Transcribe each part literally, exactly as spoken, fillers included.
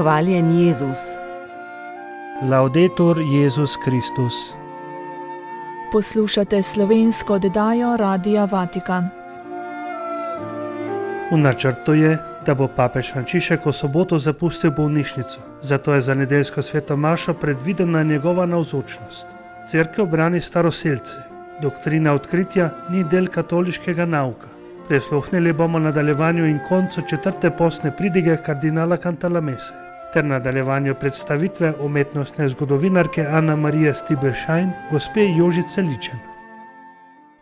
Hvaljen Jezus. Laudetur Jezus Kristus. Poslušate slovensko oddajo Radia Vatikan. V načrtu je, da bo papež Frančišek v soboto zapustil bolnišnico, zato je za nedeljsko sveto mašo predvidena njegova navzočnost. Cerkev brani staroselce. Doktrina odkritja ni del katoliškega nauka. Prisluhnili bomo nadaljevanju in koncu četrte postne pridige kardinala Cantalamesse ter nadaljevanju predstavitve umetnostne zgodovinarke Ana Marije Stibelšajn, gospe Jožice Ličen.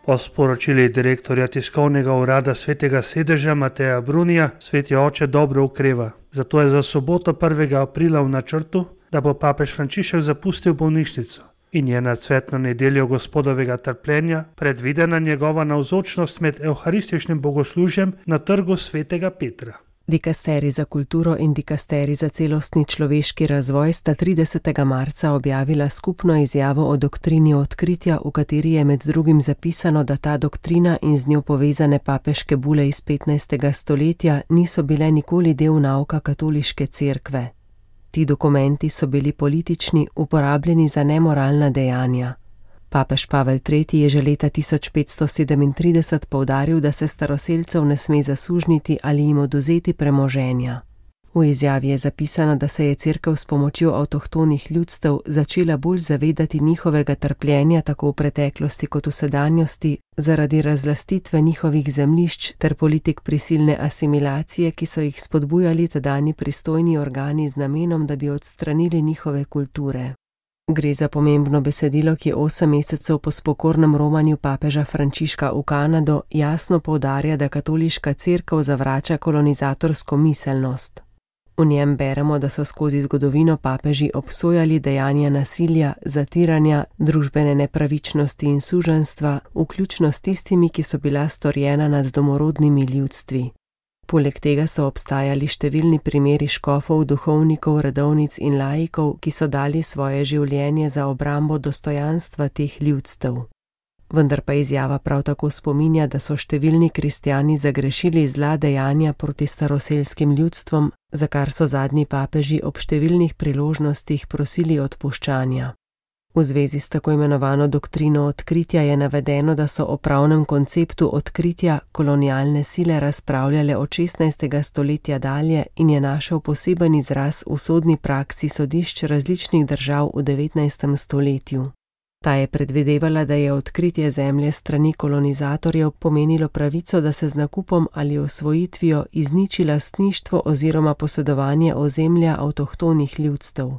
Po sporočili direktorja tiskovnega urada Svetega sedeža Mateja Brunija, sveti oče dobro okreva. Zato je za soboto prvega aprila v načrtu, da bo papež Frančišek zapustil bolnišnico in je na cvetno nedeljo Gospodovega trpljenja predvidena njegova navzočnost med evharističnim bogoslužjem na trgu Svetega Petra. Dikasterij za kulturo in dikasterij za celostni človeški razvoj sta tridesetega marca objavila skupno izjavo o doktrini odkritja, v kateri je med drugim zapisano, da ta doktrina in z njo povezane papeške bule iz petnajstega stoletja niso bile nikoli del nauka katoliške cerkve. Ti dokumenti so bili politični, uporabljeni za nemoralna dejanja. Papež Pavel tretji je že leta tisoč petsto sedemintrideset poudaril, da se staroselcev ne sme zasužniti ali jim odvzeti premoženja. V izjavi je zapisano, da se je cerkev s pomočjo avtohtonih ljudstev začela bolj zavedati njihovega trpljenja tako v preteklosti kot v sedanjosti zaradi razlastitve njihovih zemljišč ter politik prisilne asimilacije, ki so jih spodbujali tedanji pristojni organi z namenom, da bi odstranili njihove kulture. Gre za pomembno besedilo, ki osem mesecev po spokornem romanju papeža Frančiška v Kanado jasno poudarja, da katoliška cerkev zavrača kolonizatorsko miselnost. V njem beremo, da so skozi zgodovino papeži obsojali dejanja nasilja, zatiranja, družbene nepravičnosti in suženjstva, vključno s tistimi, ki so bila storjena nad domorodnimi ljudstvi. Poleg tega so obstajali številni primeri škofov, duhovnikov, redovnic in laikov, ki so dali svoje življenje za obrambo dostojanstva teh ljudstev. Vendar pa izjava prav tako spominja, da so številni kristjani zagrešili zla dejanja proti staroselskim ljudstvom, za kar so zadnji papeži ob številnih priložnostih prosili odpuščanja. V zvezi s tako imenovano doktrino odkritja je navedeno, da so o pravnem konceptu odkritja kolonialne sile razpravljale od šestnajstega stoletja dalje in je našel poseben izraz v sodni praksi sodišč različnih držav v devetnajstem stoletju. Ta je predvidevala, da je odkritje zemlje strani kolonizatorjev pomenilo pravico, da se z nakupom ali osvojitvijo izniči lastništvo oziroma posedovanje ozemlja avtohtonih ljudstev.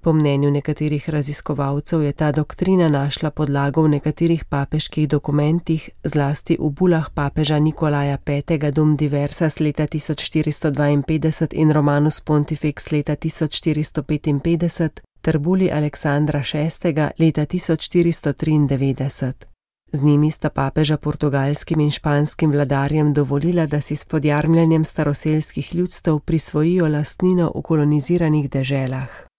Po mnenju nekaterih raziskovalcev je ta doktrina našla podlago v nekaterih papeških dokumentih, zlasti v bulah papeža Nikolaja petega Dum Diversas leta tisoč štiristo dvainpetdeset in Romanus Pontifex leta tisoč štiristo petinpetdeset ter buli Aleksandra šestega leta tisoč štiristo triindevetdeset. Z njimi sta papeža portugalskim in španskim vladarjem dovolila, da si s podjarmljanjem staroselskih ljudstev prisvojijo lastnino v koloniziranih deželah.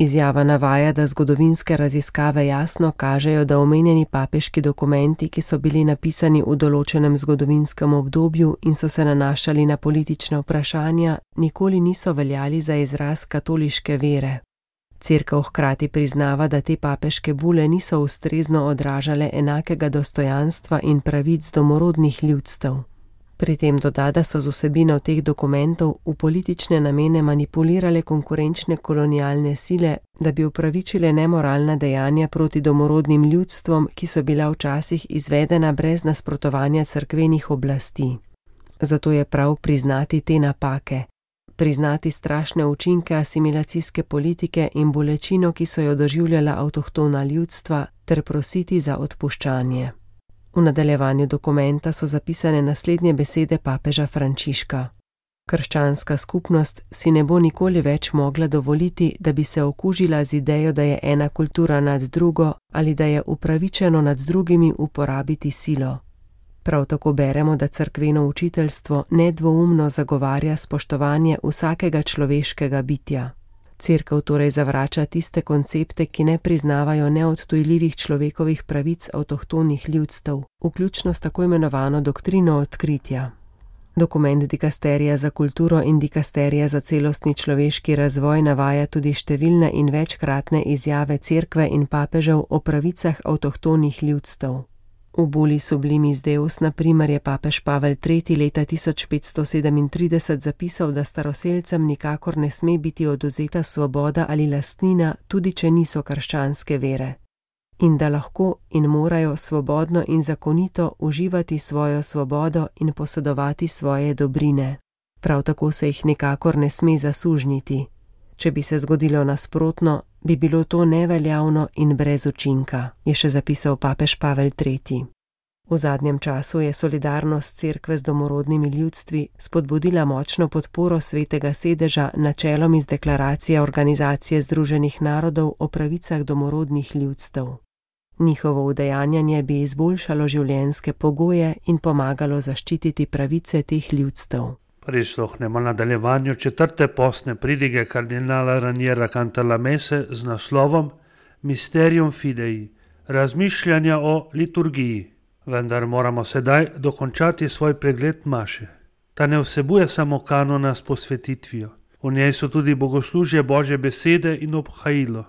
Izjava navaja, da zgodovinske raziskave jasno kažejo, da omenjeni papeški dokumenti, ki so bili napisani v določenem zgodovinskem obdobju in so se nanašali na politična vprašanja, nikoli niso veljali za izraz katoliške vere. Cerkev hkrati priznava, da te papeške bule niso ustrezno odražale enakega dostojanstva in pravic domorodnih ljudstev. Pri tem doda, da so z vsebino teh dokumentov v politične namene manipulirale konkurenčne kolonialne sile, da bi upravičile nemoralna dejanja proti domorodnim ljudstvom, ki so bila včasih izvedena brez nasprotovanja cerkvenih oblasti. Zato je prav priznati te napake, priznati strašne učinke asimilacijske politike in bolečino, ki so jo doživljala avtohtona ljudstva, ter prositi za odpuščanje. V nadaljevanju dokumenta so zapisane naslednje besede papeža Frančiška. Krščanska skupnost si ne bo nikoli več mogla dovoliti, da bi se okužila z idejo, da je ena kultura nad drugo ali da je upravičeno nad drugimi uporabiti silo. Prav tako beremo, da cerkveno učiteljstvo nedvoumno zagovarja spoštovanje vsakega človeškega bitja. Cerkev torej zavrača tiste koncepte, ki ne priznavajo neodtujljivih človekovih pravic avtohtonih ljudstev, vključno s tako imenovano doktrino odkritja. Dokument dikasterija za kulturo in dikasterija za celostni človeški razvoj navaja tudi številne in večkratne izjave cerkve in papežev o pravicah avtohtonih ljudstev. V Bulli Sublimis Deus, na primer, je papež Pavel tretji leta tisoč petsto sedemintrideset zapisal, da staroselcem nikakor ne sme biti odvzeta svoboda ali lastnina, tudi če niso krščanske vere, in da lahko in morajo svobodno in zakonito uživati svojo svobodo in posedovati svoje dobrine. Prav tako se jih nikakor ne sme zasužnjiti. Če bi se zgodilo nasprotno, bi bilo to neveljavno in brez učinka, je še zapisal papež Pavel tretji. V zadnjem času je solidarnost cerkve z domorodnimi ljudstvi spodbudila močno podporo Svetega sedeža načelom iz deklaracije Organizacije združenih narodov o pravicah domorodnih ljudstev. Njihovo udejanjanje bi izboljšalo življenjske pogoje in pomagalo zaščititi pravice teh ljudstev. Prisluhnemo nadaljevanju četrte postne pridige kardinala Raniera Cantalamesse z naslovom Mysterium Fidei, razmišljanja o liturgiji. Vendar moramo sedaj dokončati svoj pregled maše. Ta ne vsebuje samo kanona s posvetitvijo. V njej so tudi bogoslužje Božje besede in obhajilo.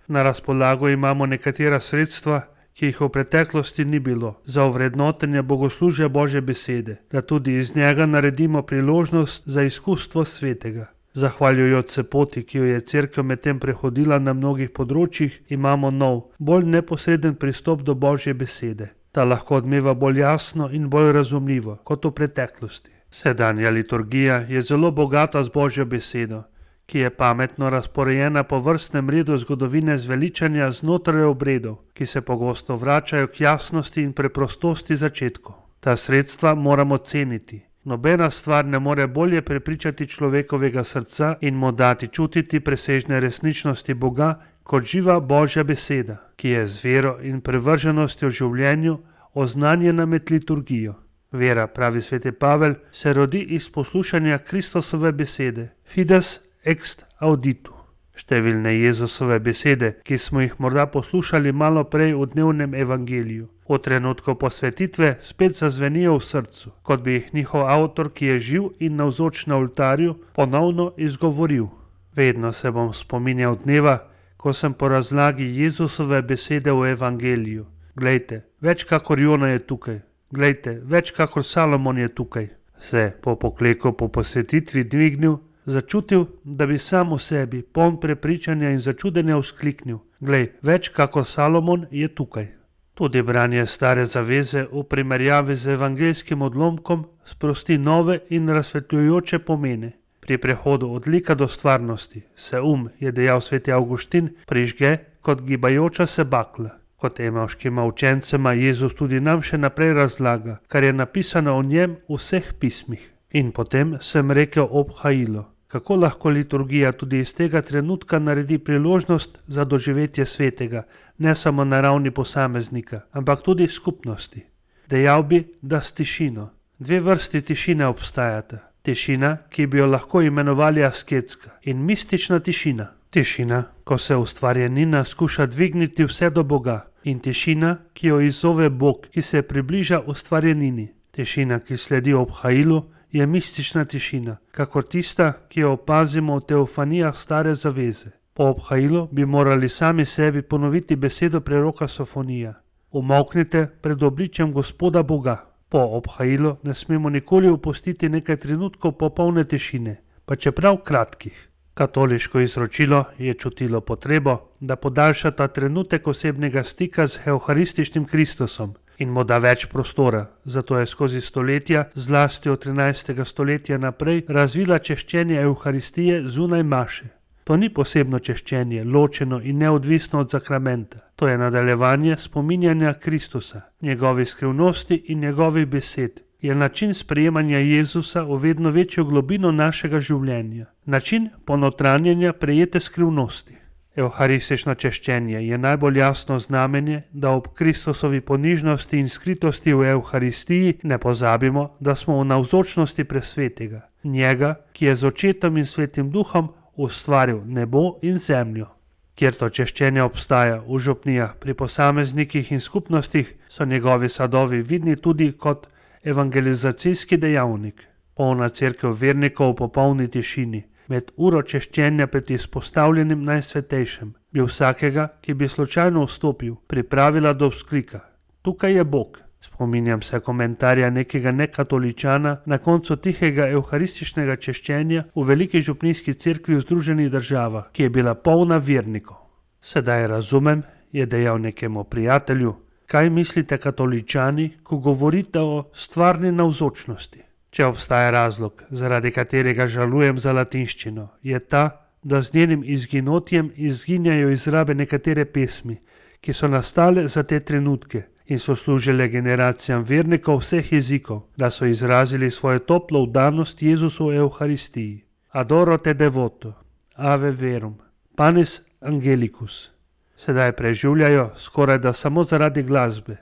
Na razpolago imamo nekatera sredstva, ki jih v preteklosti ni bilo, za ovrednotenje bogoslužja Božje besede, da tudi iz njega naredimo priložnost za izkustvo svetega. Zahvaljujoč se poti, ki jo je cerkev medtem prehodila na mnogih področjih, imamo nov, bolj neposreden pristop do Božje besede. Ta lahko odmeva bolj jasno in bolj razumljivo kot v preteklosti. Sedanja liturgija je zelo bogata z Božjo besedo, ki je pametno razporejena po vrstnem redu zgodovine zveličanja znotraj obredov, ki se pogosto vračajo k jasnosti in preprostosti začetkov. Ta sredstva moramo ceniti. Nobena stvar ne more bolje prepričati človekovega srca in mu dati čutiti presežne resničnosti Boga, kot živa Božja beseda, ki je z vero in prevrženostjo v življenju oznanjena med liturgijo. Vera, pravi sveti Pavel, se rodi iz poslušanja Kristusove besede, fides ex auditu. Številne Jezusove besede, ki smo jih morda poslušali malo prej v dnevnem evangeliju, v trenutku posvetitve spet zazvenijo v srcu, kot bi jih njihov avtor, ki je živ in navzoč na oltarju, ponovno izgovoril. Vedno se bom spominjal dneva, ko sem po razlagi Jezusove besede v evangeliju. Glejte, več kakor Jona je tukaj. Glejte, več kakor Salomon je tukaj. Se po pokleku po posvetitvi dvignil, začutil, da bi sam v sebi, poln prepričanja in začudenja vzkliknil. Glej, več kakor Salomon je tukaj. Tudi branje stare zaveze v primerjavi z evangelskim odlomkom sprosti nove in razsvetljujoče pomene. Pri prehodu od lika do stvarnosti se um, je dejal sveti Avguštin, prižge kot gibajoča se bakla. Kot emavškima učencema Jezus tudi nam še naprej razlaga, kar je napisano o njem v vseh pismih. In potem sem rekel obhajilo, kako lahko liturgija tudi iz tega trenutka naredi priložnost za doživetje svetega, ne samo na ravni posameznika, ampak tudi skupnosti. Dejal bi, da s tišino. Dve vrsti tišine obstajata. Tišina, ki bi jo lahko imenovali asketska, in mistična tišina. Tišina, ko se ustvarjenina skuša dvigniti vse do Boga, in tišina, ki jo izzove Bog, ki se približa ustvarjenini. Tišina, ki sledi obhajilu, je mistična tišina, kakor tista, ki jo opazimo v teofanijah stare zaveze. Po obhajilu bi morali sami sebi ponoviti besedo preroka Sofonija. Umolknite pred obličjem Gospoda Boga. Po obhajilu ne smemo nikoli opustiti nekaj trenutkov popolne tišine, pa čeprav kratkih. Katoliško izročilo je čutilo potrebo, da podaljša ta trenutek osebnega stika z evharističnim Kristusom in mu da več prostora. Zato je skozi stoletja, zlasti od trinajstega stoletja naprej, razvila češčenje evharistije zunaj maše. To ni posebno češčenje, ločeno in neodvisno od sakramenta. To je nadaljevanje spominjanja Kristusa, njegovi skrivnosti in njegovih besed. Je način sprejemanja Jezusa v vedno večjo globino našega življenja. Način ponotranjenja prejete skrivnosti. Evharistično češčenje je najbolj jasno znamenje, da ob Kristusovi ponižnosti in skritosti v Evharistiji ne pozabimo, da smo v navzočnosti presvetega, njega, ki je z očetom in svetim duhom ustvaril nebo in zemljo. Kjer to češčenje obstaja v župnijah, pri posameznikih in skupnostih, so njegovi sadovi vidni tudi kot evangelizacijski dejavnik. Polna cerkev vernikov v popolni tišini, med uro češčenja pred izpostavljenim najsvetejšem, bi vsakega, ki bi slučajno vstopil, pripravila do vzklika: "Tukaj je Bog." Spominjam se komentarja nekega nekatoličana na koncu tihega evharističnega češčenja v veliki župnijski cerkvi v Združenih državah, ki je bila polna vernikov. "Sedaj razumem," je dejal nekemu prijatelju, "kaj mislite katoličani, ko govorite o stvarni navzočnosti. Če obstaja razlog, zaradi katerega žalujem za latinščino, je ta, da z njenim izginotjem izginjajo iz rabe nekatere pesmi, ki so nastale za te trenutke in so služile generacijam vernikov vseh jezikov, da so izrazili svojo toplo vdanost Jezusu v Evharistiji. Adoro te devoto, ave verum, panis angelicus." Sedaj preživljajo skoraj da samo zaradi glasbe,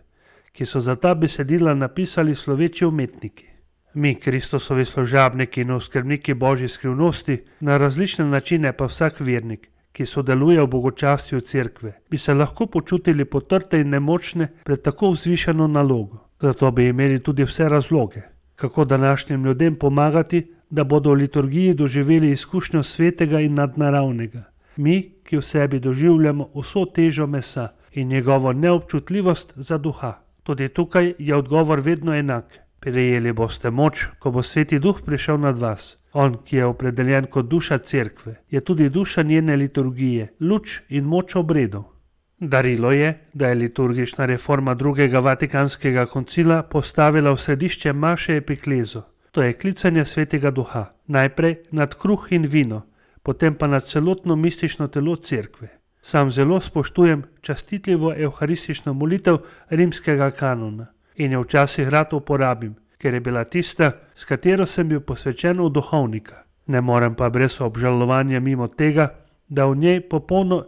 ki so za ta besedila napisali sloveči umetniki. Mi, Kristusovi služabniki in oskrbniki Božje skrivnosti, na različne načine pa vsak vernik, ki sodeluje v bogočastju cerkve, bi se lahko počutili potrte in nemočne pred tako vzvišeno nalogo. Zato bi imeli tudi vse razloge, kako današnjim ljudem pomagati, da bodo v liturgiji doživeli izkušnjo svetega in nadnaravnega. Mi, ki v sebi doživljamo vso težo mesa in njegovo neobčutljivost za duha. Tudi tukaj je odgovor vedno enak. Prejeli boste moč, ko bo Sveti Duh prišel nad vas. On, ki je opredeljen kot duša cerkve, je tudi duša njene liturgije, luč in moč obredov. Darilo je, da je liturgična reforma drugega vatikanskega koncila postavila v središče maše epiklezo, to je klicanje Svetega Duha, najprej nad kruh in vino, potem pa nad celotno mistično telo cerkve. Sam zelo spoštujem častitljivo evharistično molitev rimskega kanona in jo včasih rad uporabim, ker je bila tista, s katero sem bil posvečen v duhovnika. Ne morem pa brez obžalovanja mimo tega, da, v njej popolno,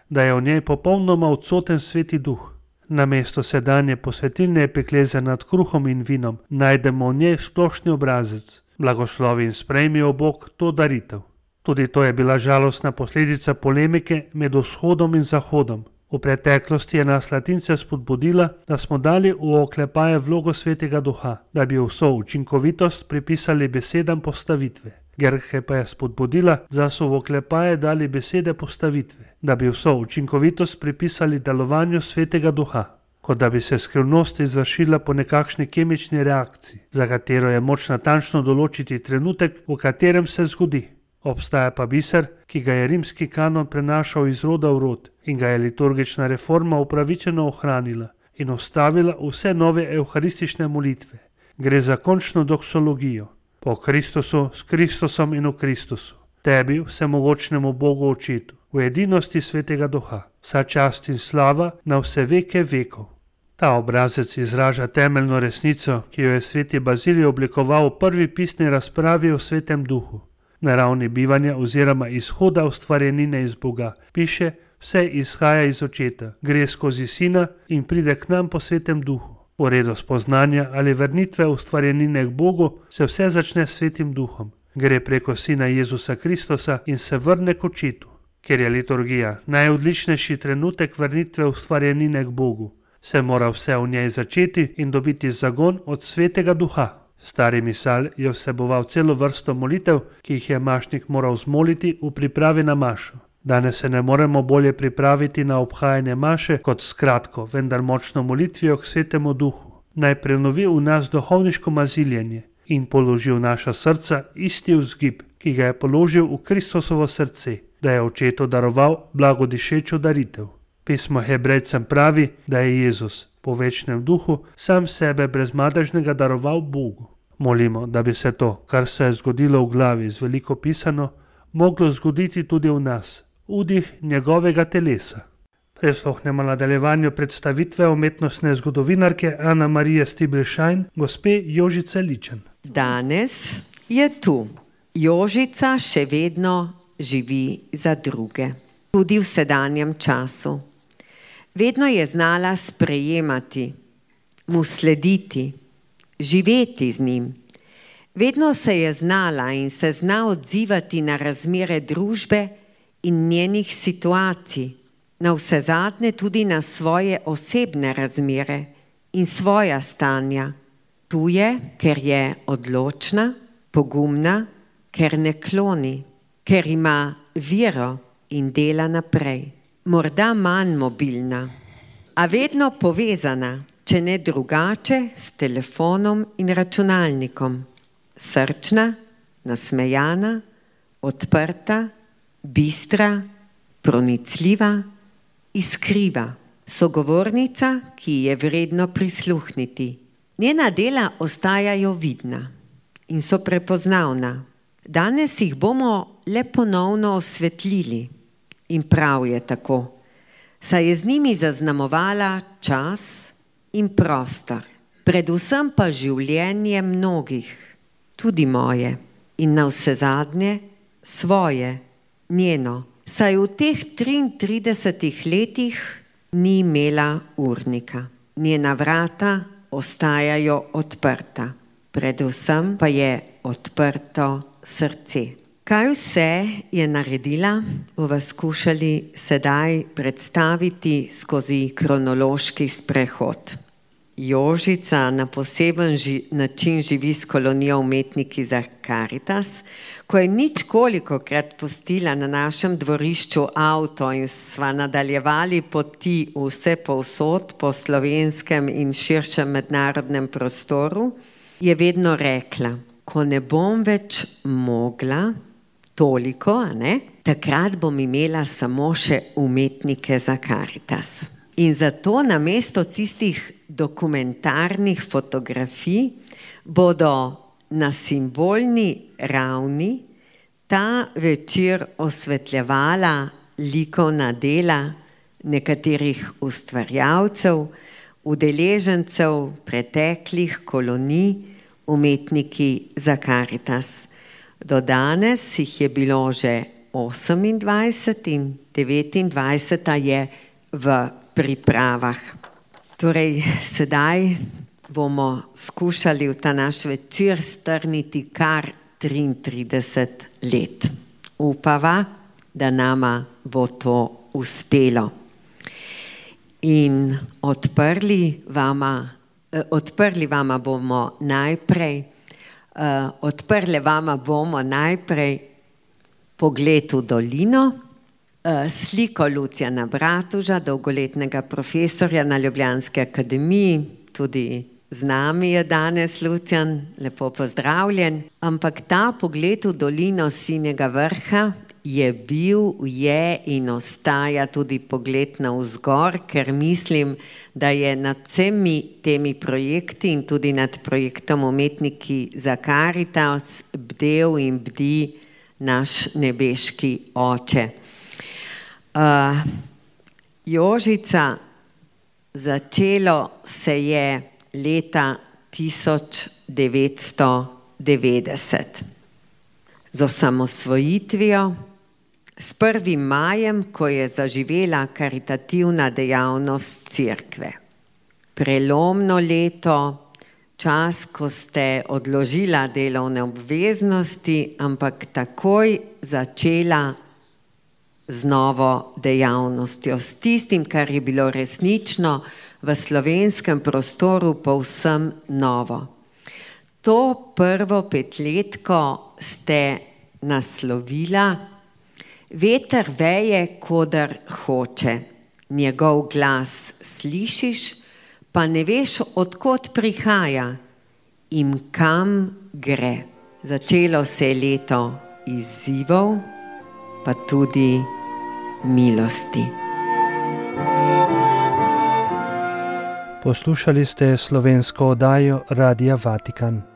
da je v njej popolnoma odsoten Sveti Duh. Namesto sedanje posvetilne epikleze nad kruhom in vinom najdemo v njej splošni obrazec. Blagoslovi in sprejmi, o Bog, to daritev. Tudi to je bila žalostna posledica polemike med vzhodom in zahodom. V preteklosti je nas Latince spodbudila, da smo dali v oklepaje vlogo Svetega Duha, da bi vso učinkovitost pripisali besedam postavitve. Gerhe pa je spodbudila, da so v oklepaje dali besede postavitve, da bi vso učinkovitost pripisali delovanju Svetega Duha, kot da bi se skrivnost izvršila po nekakšni kemični reakciji, za katero je moč natančno določiti trenutek, v katerem se zgodi. Obstaja pa biser, ki ga je rimski kanon prenašal iz roda v rod in ga je liturgična reforma upravičeno ohranila in ustavila vse nove evharistične molitve. Gre za končno doksologijo. Po Kristusu, s Kristusom in v Kristusu. Tebi, vsemogočnemu Bogu Očetu, v edinosti Svetega Duha, vsa čast in slava na vse veke vekov. Ta obrazec izraža temeljno resnico, ki jo je sveti Bazilij oblikoval v prvi pisni razpravi o Svetem Duhu. Na ravni bivanja oziroma izhoda ustvarjenine iz Boga piše: vse izhaja iz Očeta, gre skozi Sina in pride k nam po Svetem Duhu. Po redu spoznanja ali vrnitve ustvarjenine k Bogu se vse začne s Svetim Duhom. Gre preko Sina Jezusa Kristusa in se vrne k Očetu. Ker je liturgija najodličnejši trenutek vrnitve ustvarjenine k Bogu, se mora vse v njej začeti in dobiti zagon od Svetega Duha. Stari misal je vseboval celo vrsto molitev, ki jih je mašnik moral zmoliti v pripravi na mašo. Danes se ne moremo bolje pripraviti na obhajanje maše kot s kratko, vendar močno molitvijo k Svetemu Duhu. Naj prenovi v nas duhovniško maziljenje in položi v naša srca isti vzgib, ki ga je položil v Kristusovo srce, da je Očetu daroval blagodišečo daritev. Pismo Hebrejcem pravi, da je Jezus po večnem duhu sam sebe brezmadežnega daroval Bogu. Molimo, da bi se to, kar se je zgodilo v glavi z veliko pisano, moglo zgoditi tudi v nas, vdih njegovega telesa. Prisluhnemo nadaljevanju predstavitve umetnostne zgodovinarke Ana Marije Stibelšajn, gospe Jožice Ličen. Danes je tu. Jožica še vedno živi za druge, tudi v sedanjem času. Vedno je znala sprejemati, mu slediti, živeti z njim. Vedno se je znala in se zna odzivati na razmere družbe in njenih situacij, na vsezadnje tudi na svoje osebne razmere in svoja stanja. Tu je, ker je odločna, Pogumna, ker ne kloni, ker ima vero in dela naprej. Morda manj mobilna, a vedno povezana, če ne drugače, s telefonom in računalnikom. Srčna, nasmejana, odprta, bistra, pronicljiva, iskriva. Sogovornica, ki je vredno prisluhniti. Njena dela ostajajo vidna in so prepoznavna. Danes jih bomo le ponovno osvetlili in prav je tako, saj je z njimi zaznamovala čas in prostor, predvsem pa življenje mnogih, tudi moje in navsezadnje svoje, njeno, saj v teh triintridesetih letih ni imela urnika. Njena vrata ostajajo odprta, predvsem pa je odprto srce. Kaj vse je naredila, bova skušali sedaj predstaviti skozi kronološki sprehod. Jožica na poseben ži, način živi s kolonijo Umetniki za Karitas. Ko je ničkolikokrat pustila na našem dvorišču avto in sva nadaljevali poti vse povsod po slovenskem in širšem mednarodnem prostoru, je vedno rekla, ko ne bom več mogla toliko, a ne, takrat bom imela samo še Umetnike za Karitas. In zato namesto tistih dokumentarnih fotografij bodo na simbolni ravni ta večer osvetljevala likovna dela nekaterih ustvarjalcev, udeležencev preteklih kolonij Umetniki za Karitas. Do danes jih je bilo že osemindvajset in devetindvajseta je v pripravah. Torej, sedaj bomo skušali v ta naš večer strniti kar triintrideset let. Upava, da nama bo to uspelo. In odprli vama, eh, odprli vama bomo najprej, eh, odprli vama bomo najprej pogled v dolino, sliko Lucijana Bratuža, dolgoletnega profesorja na Ljubljanski akademiji, tudi z nami je danes Lucijan, lepo pozdravljen. Ampak ta pogled v dolino Sinjega vrha je bil, je in ostaja tudi pogled navzgor, ker mislim, da je nad vsemi temi projekti in tudi nad projektom Umetniki za Karitas bdel in bdi naš nebeški oče. Uh, Jožica, začelo se je leta tisoč devetsto devetdeset z osamosvojitvijo, s prvim majem, ko je zaživela karitativna dejavnost cerkve. Prelomno leto, čas, ko ste odložila delovne obveznosti, ampak takoj začela z novo dejavnostjo, s tistim, kar je bilo resnično v slovenskem prostoru povsem novo. To prvo petletko ste naslovila Veter veje, kodar hoče, njegov glas slišiš, pa ne veš, od kod prihaja in kam gre. Začelo se je leto izzivov, pa tudi milosti. Poslušali ste slovensko oddajo Radia Vatikan.